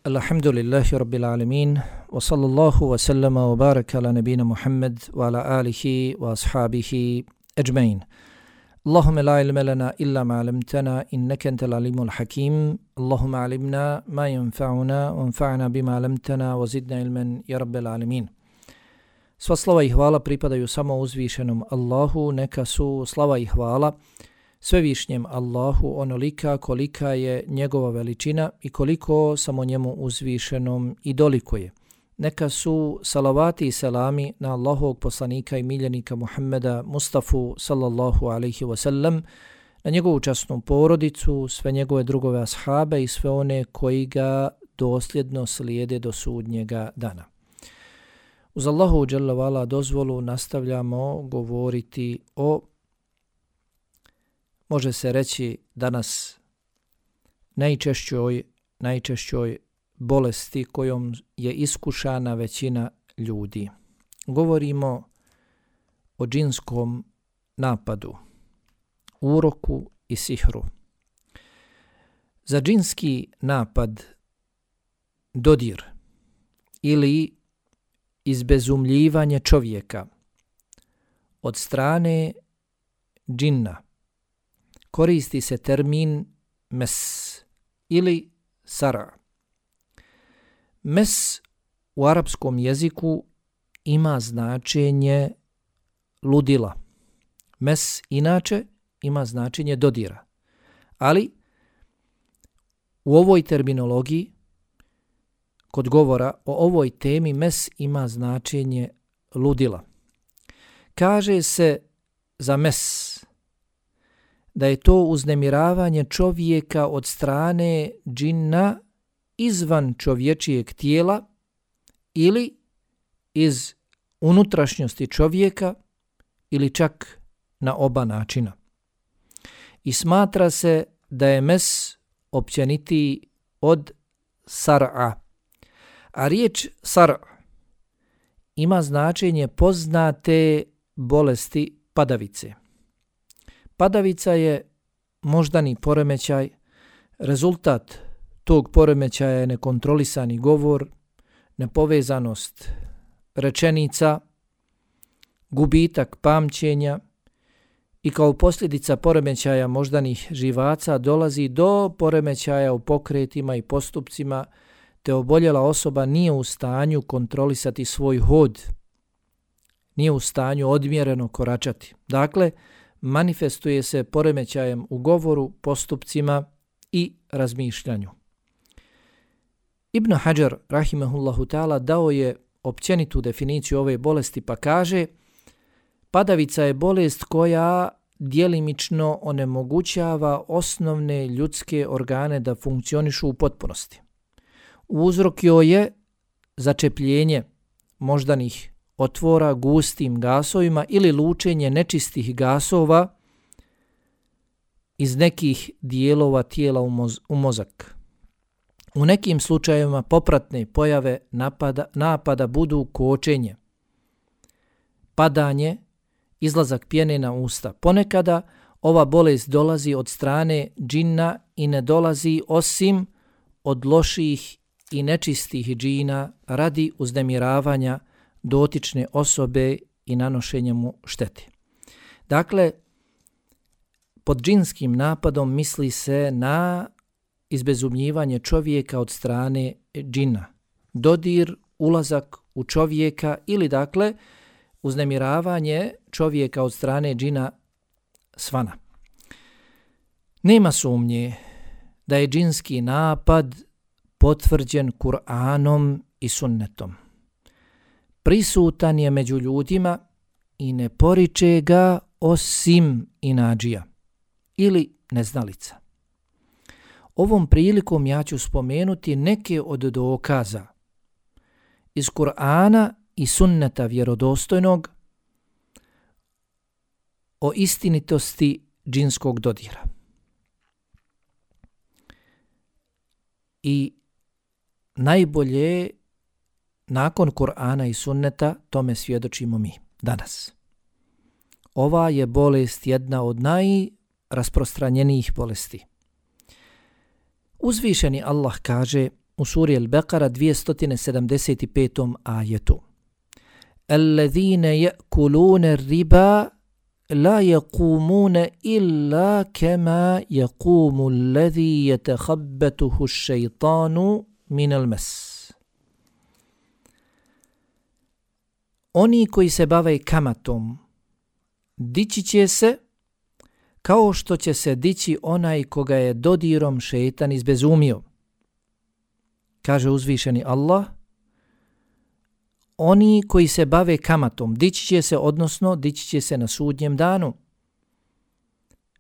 Alhamdulillahi Rabbil Alamin, wa sallallahu wa sallama wa baraka ala nabina Muhammad wa ala alihi wa ashabihi ajmain. Allahumma la ilma lana illa ma 'allamtana innaka antal alimul hakim. Allahumma 'allimna ma yanfa'una wanfa'na bima 'allamtana wa zidna ilman ya Rabbil Alamin. Sva slava i hvala pripadaju samo uzvišenom Allahu, neka su slava i hvala svevišnjem Allahu onolika kolika je njegova veličina i koliko samo njemu uzvišenom i dolikuje. Neka su salavati i selami na Allahovog poslanika i miljenika Muhammeda Mustafa sallallahu alaihi wasallam, na njegovu časnu porodicu, sve njegove drugove ashabe i sve one koji ga dosljedno slijede do sudnjega dana. Uz Allahu dželle ve ala dozvolu nastavljamo govoriti o, može se reći danas, najčešćoj bolesti kojom je iskušana većina ljudi. Govorimo o džinskom napadu, uroku i sihru. Za džinski napad, dodir ili izbezumljivanje čovjeka od strane džinna koristi se termin mes ili sara. Mes u arapskom jeziku ima značenje ludila. Mes inače ima značenje dodira. Ali u ovoj terminologiji, kod govora o ovoj temi, mes ima značenje ludila. Kaže se za mes da je to uznemiravanje čovjeka od strane džinna izvan čovječijeg tijela ili iz unutrašnjosti čovjeka ili čak na oba načina. I smatra se da je mes općenitiji od sar'a. A riječ sar'a ima značenje poznate bolesti padavice. Padavica je moždani poremećaj, rezultat tog poremećaja je nekontrolisani govor, nepovezanost rečenica, gubitak pamćenja i kao posljedica poremećaja moždanih živaca dolazi do poremećaja u pokretima i postupcima, te oboljela osoba nije u stanju kontrolisati svoj hod, nije u stanju odmjereno koračati. Dakle, manifestuje se poremećajem u govoru, postupcima i razmišljanju. Ibn Hajar, rahimehullahu ta'ala, dao je općenitu definiciju ove bolesti pa kaže: padavica je bolest koja djelimično onemogućava osnovne ljudske organe da funkcionišu u potpunosti. Uzrok joj je začepljenje moždanih otvora gustim gasovima ili lučenje nečistih gasova iz nekih dijelova tijela u mozak. U nekim slučajevima popratne pojave napada budu kočenje, padanje, izlazak pjene na usta. Ponekada ova bolest dolazi od strane džinna i ne dolazi osim od loših i nečistih džina radi uznemiravanja dotične osobe i nanošenja mu štete. Dakle, pod džinskim napadom misli se na izbezumljivanje čovjeka od strane džina. Dodir, ulazak u čovjeka ili dakle uznemiravanje čovjeka od strane džina svana. Nema sumnje da je džinski napad potvrđen Kur'anom i sunnetom. Prisutan je među ljudima i ne poriče ga osim inadžija ili neznalica. Ovom prilikom ja ću spomenuti neke od dokaza iz Kur'ana i sunneta vjerodostojnog o istinitosti džinskog dodira. I najbolje nakon Kur'ana i sunneta tome svjedočimo mi danas. Ova je bolest jedna od najrasprostranjenijih bolesti. Uzvišeni Allah kaže: u suri Al-Baqara 275. ajetu. Allazina ya'kuluna ar-riba la yaqumuna illa kama yaqumu alladhi yatakhabbathu ash-shaytanu min al-mas. Oni koji se bave kamatom dići će se kao što će se dići onaj koga je dodirom šejtan izbezumio. Kaže uzvišeni Allah, oni koji se bave kamatom dići će se, odnosno dići će se na sudnjem danu.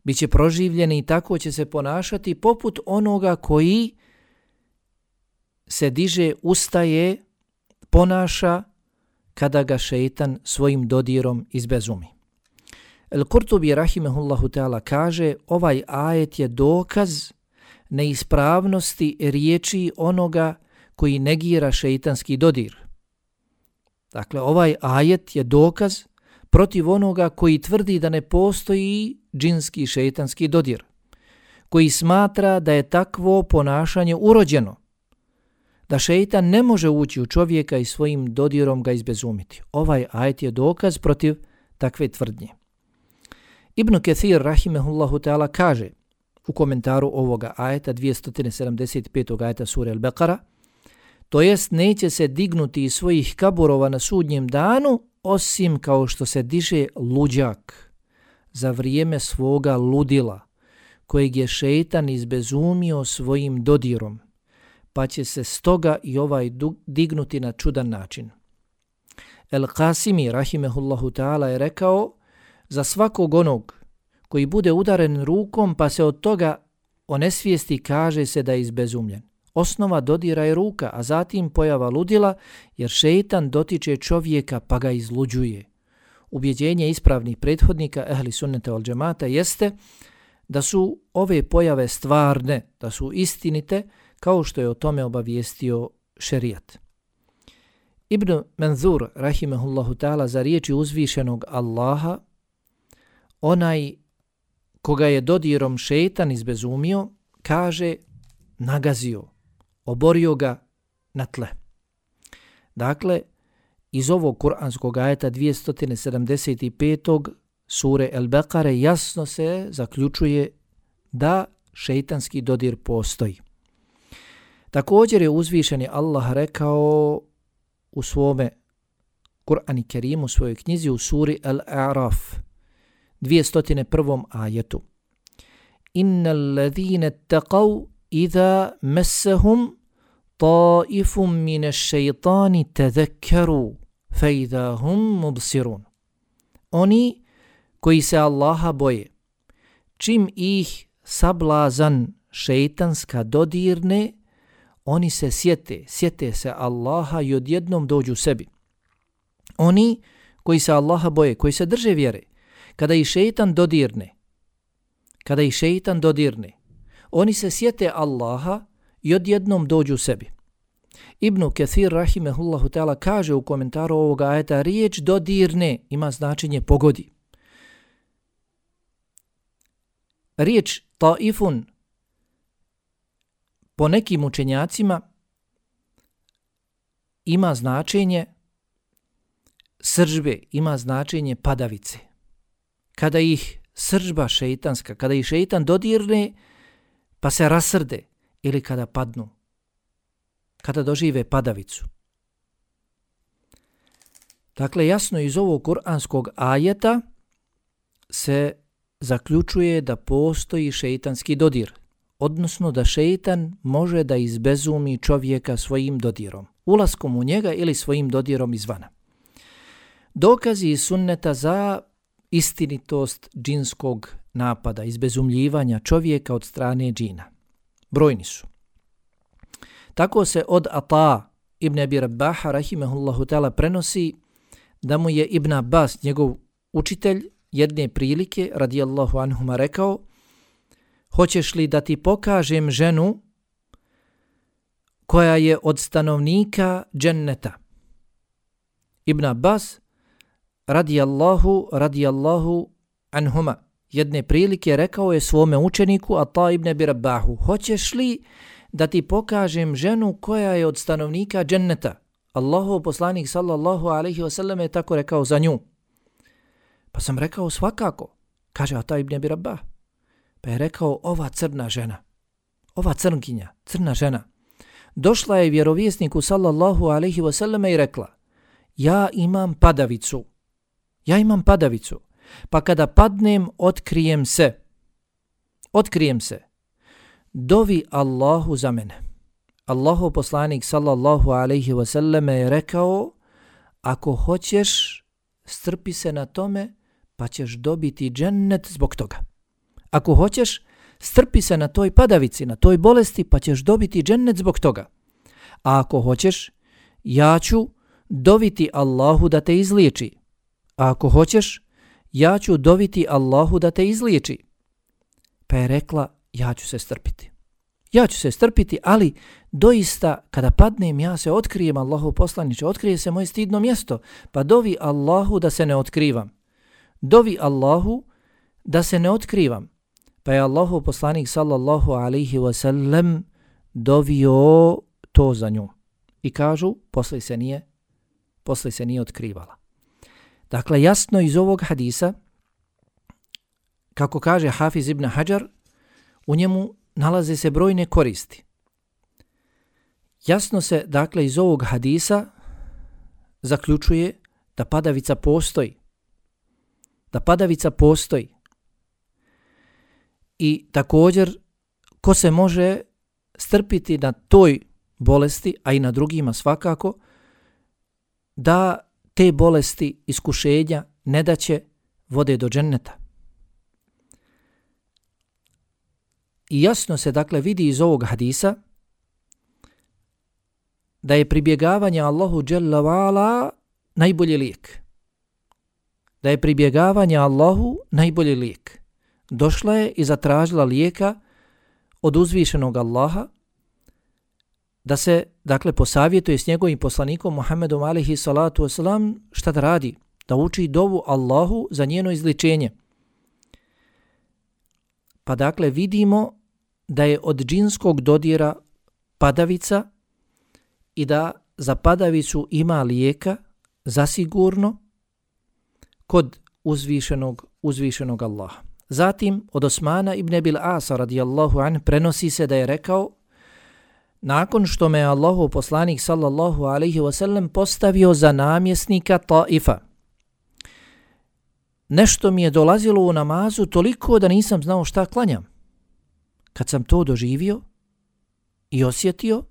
Biće proživljeni i tako će se ponašati poput onoga koji se diže, ustaje, ponaša kada ga šejtan svojim dodirom izbezumi. Al-Kurtubi rahimehullahu ta'ala kaže, ovaj ajet je dokaz neispravnosti riječi onoga koji negira šejtanski dodir. Dakle, ovaj ajet je dokaz protiv onoga koji tvrdi da ne postoji džinski šejtanski dodir, koji smatra da je takvo ponašanje urođeno, da šejtan ne može ući u čovjeka i svojim dodirom ga izbezumiti. Ovaj ajet je dokaz protiv takve tvrdnje. Ibn Kathir rahimehullahu ta'ala kaže u komentaru ovoga ajeta 275. ajeta sure Al-Baqara, to jest neće se dignuti iz svojih kaburova na sudnjem danu osim kao što se diže luđak za vrijeme svoga ludila kojeg je šejtan izbezumio svojim dodirom, pa će se stoga i ovaj dignuti na čudan način. El-Qasimi rahimehullahu ta'ala je rekao, za svakog onog koji bude udaren rukom pa se od toga onesvijesti, kaže se da je izbezumljen. Osnova dodira je ruka, a zatim pojava ludila, jer šejtan dotiče čovjeka pa ga izluđuje. Ubjeđenje ispravnih prethodnika ehli sunneta wal džemata jeste da su ove pojave stvarne, da su istinite, kao što je o tome obavijestio šerijat. Ibn Manzur rahimehullahu ta'ala za riječi uzvišenog Allaha, onaj koga je dodirom šejtan izbezumio, kaže nagazio, oborio ga na tle. Dakle, iz ovog kuranskog ajeta 275. sure Al-Baqare jasno se zaključuje da šejtanski dodir postoji. Također je uzvišeni Allah rekao u svome Kur'an Kerimu, u svojoj knjizi u suri Al-A'raf 201. ajetu. Innal ladhina taqaw idha massahum ta'ifun minash shaytani tadhakkaru fa idha hum mubsirun. Oni koji se Allaha boje, čim ih sablazan šejtanska dodirne, oni se sjete se Allaha i odjednom dođu sebi. Oni koji se Allaha boje, koji se drže vjere, kada ih šejtan dodirne, oni se sjete Allaha i odjednom dođu sebi. Ibn Kathir rahimehullahu ta'ala kaže u komentaru ovoga ajeta, riječ dodirne ima značenje pogodi. Riječ taifun po nekim učenjacima ima značenje sržbe, ima značenje padavice. Kada ih sržba šejtanska, kada ih šejtan dodirne pa se rasrde, ili kada padnu, kada dožive padavicu. Dakle, jasno iz ovog kuranskog ajeta se zaključuje da postoji šejtanski dodir, odnosno da šejtan može da izbezumi čovjeka svojim dodirom, ulaskom u njega ili svojim dodirom izvana. Dokazi iz sunneta za istinitost džinskog napada, izbezumljivanja čovjeka od strane džina brojni su. Tako se od Ata ibn Abi Rabaha rahimehullahu ta'ala prenosi da mu je Ibn Abbas, njegov učitelj, jedne prilike radijallahu anhuma rekao: hoćeš li da ti pokažem ženu koja je od stanovnika dženneta? Ibn Abbas radijallahu anhuma jedne prilike rekao je svome učeniku Ata ibn Abi Rabahu: hoćeš li da ti pokažem ženu koja je od stanovnika dženneta. Allahov poslanik sallallahu alejhi ve sellem je tako rekao za nju. Pa sam rekao svakako. Kaže Ata ibn Abi Rabah. Pa je rekao ova crna žena, ova crnkinja, crna žena. Došla je vjerovjesniku sallallahu alejhi ve selleme i rekla: ja imam padavicu. Pa kada padnem, otkrijem se. Dovi Allahu za mene. Allahov poslanik sallallahu alejhi ve selleme je rekao: ako hoćeš, strpi se na tome, pa ćeš dobiti džennet zbog toga. Ako hoćeš, strpi se na toj padavici, na toj bolesti, pa ćeš dobiti džennet zbog toga. A ako hoćeš, ja ću doviti Allahu da te izliječi. Pa je rekla: ja ću se strpiti, ali doista kada padnem ja se otkrijem, Allahov poslaniče, otkrije se moje stidno mjesto, pa dovi Allahu da se ne otkrivam. Pa je Allahov poslanik sallallahu alejhi ve sellem dovio to za nju. I kažu, posle se nije otkrivala. Dakle, jasno iz ovog hadisa, kako kaže Hafiz ibn Hajar, u njemu nalaze se brojne koristi. Jasno se, dakle, iz ovog hadisa zaključuje da padavica postoji. I također, ko se može strpiti na toj bolesti, a i na drugima svakako, da te bolesti, iskušenja, nedaće vode do dženneta. I jasno se, dakle, vidi iz ovog hadisa da je pribjegavanje Allahu dželle ve ala najbolji lijek. Došla je i zatražila lijeka od uzvišenog Allaha da se, dakle, posavjetuje s njegovim poslanikom Muhammedom alejhi salatu vesselam šta da radi, da uči dovu Allahu za njeno izliječenje. Pa dakle vidimo da je od džinskog dodira padavica i da za padavicu ima lijeka zasigurno kod uzvišenog Allaha. Zatim od Osmana ibn Abil Asa radijallahu an prenosi se da je rekao: nakon što me Allahov poslanik sallallahu alejhi ve sellem postavio za namjesnika Taifa, nešto mi je dolazilo u namazu toliko da nisam znao šta klanjam. Kad sam to doživio i osjetio,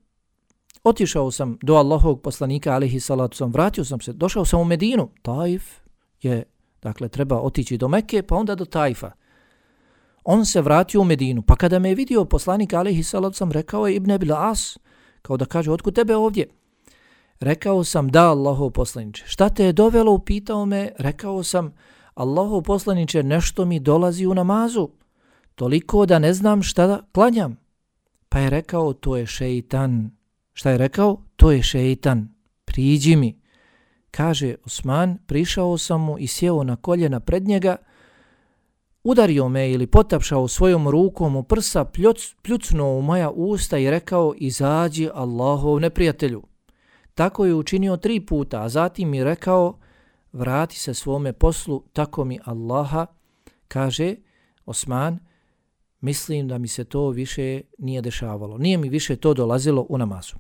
otišao sam do Allahovog poslanika alejhi salatu vesselam, vratio sam se, došao sam u Medinu. Taif je, dakle, treba otići do Mekke, pa onda do Taifa. On se vratio u Medinu, pa kada me je vidio poslanik alejhi salatu vesselam, rekao je Ibn Abil As, kao da kaže: otkud tebe ovdje? Rekao sam: da, Allahov poslaniče. Šta te je dovelo? Upitao me. Rekao sam: Allahov poslaniče, nešto mi dolazi u namazu, toliko da ne znam šta da klanjam. Pa je rekao: to je šeitan. Šta je rekao? To je šeitan. Priđi mi. Kaže Osman: prišao sam mu i sjeo na koljena pred njega, udario me ili potapšao svojom rukom u prsa, pljucnuo u moja usta i rekao: izađi Allahov neprijatelju. Tako je učinio 3 puta, a zatim mi rekao: vrati se svome poslu, tako mi Allaha. Kaže Osman: mislim da mi se to više nije dešavalo. Nije mi više to dolazilo u namazu.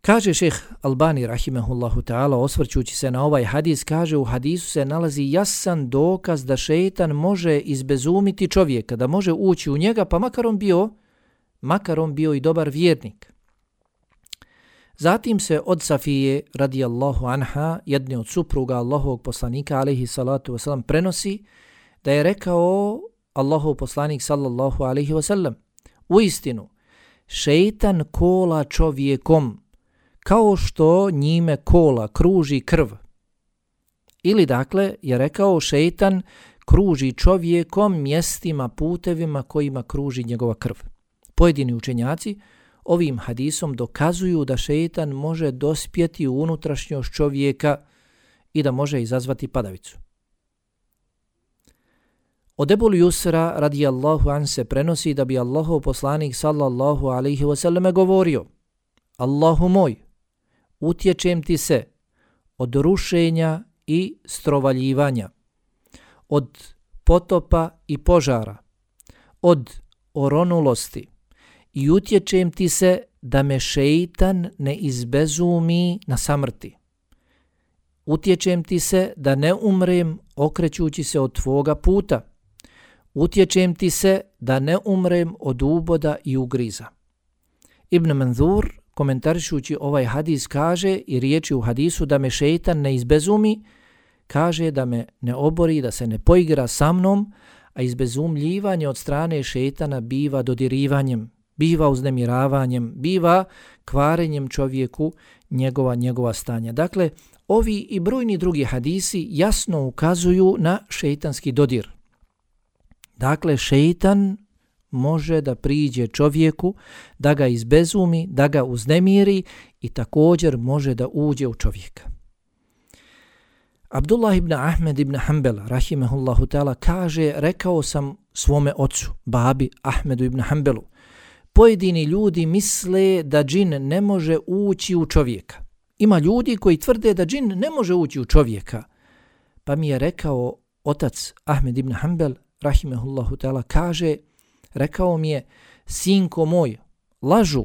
Kaže šejh Albani rahimehullahu ta'ala, osvrćući se na ovaj hadis, kaže: u hadisu se nalazi jasan dokaz da šejtan može izbezumiti čovjeka, da može ući u njega, pa makar on bio i dobar vjernik. Zatim se od Safije radijallahu anha, jedne od supruga Allahovog poslanika alejhi salatu vesselam, prenosi da je rekao Allahov poslanik sallallahu alejhi ve sellem: uistinu, šejtan kola čovjekom kao što njime kola, kruži krv. Ili dakle je rekao: šejtan kruži čovjekom mjestima, putevima kojima kruži njegova krv. Pojedini učenjaci ovim hadisom dokazuju da šejtan može dospjeti u unutrašnjost čovjeka i da može izazvati padavicu. Od Ebul Jusra radijallahu an se prenosi da bi Allahov poslanik sallallahu alaihi wasallam govorio: Allahu moj, utječem ti se od rušenja i strovaljivanja, od potopa i požara, od oronulosti i utječem ti se da me šeitan ne izbezumi na samrti. Utječem ti se da ne umrem okrećući se od tvoga puta. Utječem ti se da ne umrem od uboda i ugriza. Ibn Manzur, komentarišući ovaj hadis, kaže i riječi u hadisu da me šeitan ne izbezumi, kaže da me ne obori, da se ne poigra sa mnom, a izbezumljivanje od strane šeitana biva dodirivanjem, biva uznemiravanjem, biva kvarenjem čovjeku njegova stanja. Dakle, ovi i brojni drugi hadisi jasno ukazuju na šeitanski dodir. Dakle, šeitan može da priđe čovjeku, da ga izbezumi, da ga uznemiri i također može da uđe u čovjeka. Abdullah ibn Ahmed ibn Hanbel, rahimehullahu ta'ala, kaže: rekao sam svome ocu, babi Ahmedu ibn Hanbelu, pojedini ljudi misle da džin ne može ući u čovjeka. Ima ljudi koji tvrde da džin ne može ući u čovjeka. Pa mi je rekao otac Ahmed ibn Hanbel, rahimehullahu ta'ala, kaže, rekao mi je: sinko moj, lažu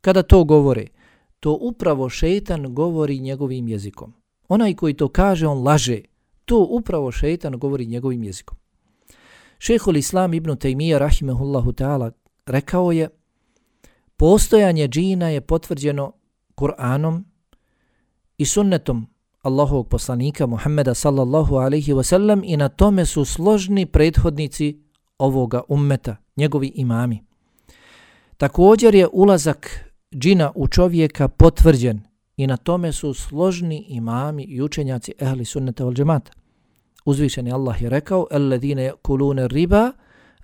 kada to govore. To upravo šeitan govori njegovim jezikom. Onaj koji to kaže, on laže. To upravo šeitan govori njegovim jezikom. Šejhul Islam ibn Tejmija, rahimehullahu ta'ala, rekao je: postojanje džina je potvrđeno Kur'anom i sunnetom Allahovog poslanika Muhammeda sallallahu alaihi wasallam i na tome su složni prethodnici ovoga ummeta, njegovi imami. Također je ulazak džina u čovjeka potvrđen i na tome su složni imami i učenjaci ehli sunneta wal džemata. Uzvišeni Allah je rekao: alladhina yakuluna riba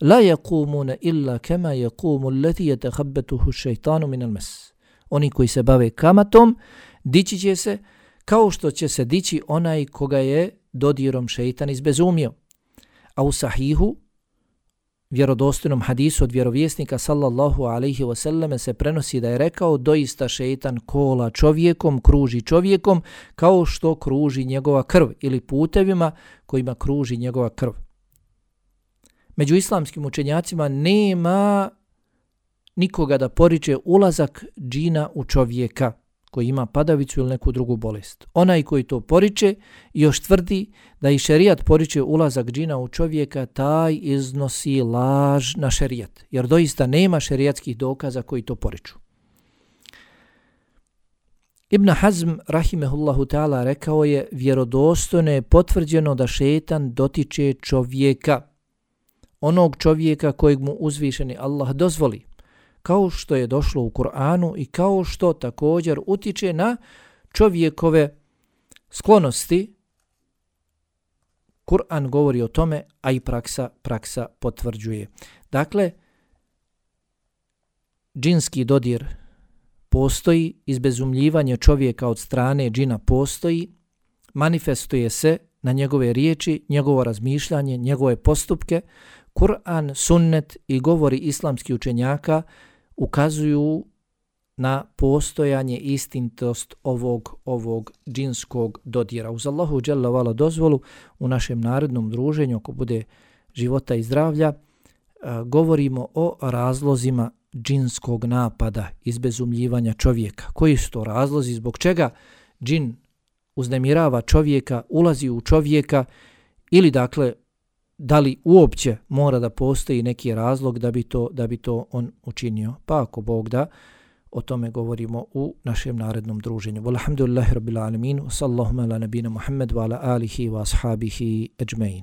la yaqumuna illa kama yaqumu allati yatakhabbathu ash-shaytanu min al-mas. Oni koji se bave kamatom dići će se kao što će se dići onaj koga je dodirom šeitan izbezumio. A u sahihu, vjerodostojnom hadisu od vjerovjesnika sallallahu alaihi wasallam se prenosi da je rekao: doista šeitan kola čovjekom, kruži čovjekom kao što kruži njegova krv ili putevima kojima kruži njegova krv. Među islamskim učenjacima nema nikoga da poriče ulazak džina u čovjeka koji ima padavicu ili neku drugu bolest. Onaj koji to poriče još tvrdi da i šerijat poriče ulazak džina u čovjeka, taj iznosi laž na šerijat, jer doista nema šerijatskih dokaza koji to poriču. Ibn Hazm, rahimehullahu ta'ala, rekao je: vjerodostojno je potvrđeno da šetan dotiče čovjeka, onog čovjeka kojeg mu uzvišeni Allah dozvoli, kao što je došlo u Kur'anu i kao što također utiče na čovjekove sklonosti. Kur'an govori o tome, a i praksa potvrđuje. Dakle, džinski dodir postoji, izbezumljivanje čovjeka od strane džina postoji, manifestuje se na njegove riječi, njegovo razmišljanje, njegove postupke. Kur'an, sunnet i govori islamskih učenjaka ukazuju na postojanje istinitost ovog džinskog dodira. Uz Allahu dželle ve ala dozvolu u našem narednom druženju, ako bude života i zdravlja, govorimo o razlozima džinskog napada, izbezumljivanja čovjeka. Koji su to razlozi, zbog čega džin uznemirava čovjeka, ulazi u čovjeka, ili dakle da li uopće mora da postoji neki razlog da bi to on učinio. Pa ako Bog da, o tome govorimo u našem narednom druženju. Walhamdulillahi rabbil alamin, sallallahu ala nabina Muhammad wa ala alihi wa ashabihi ajma'in.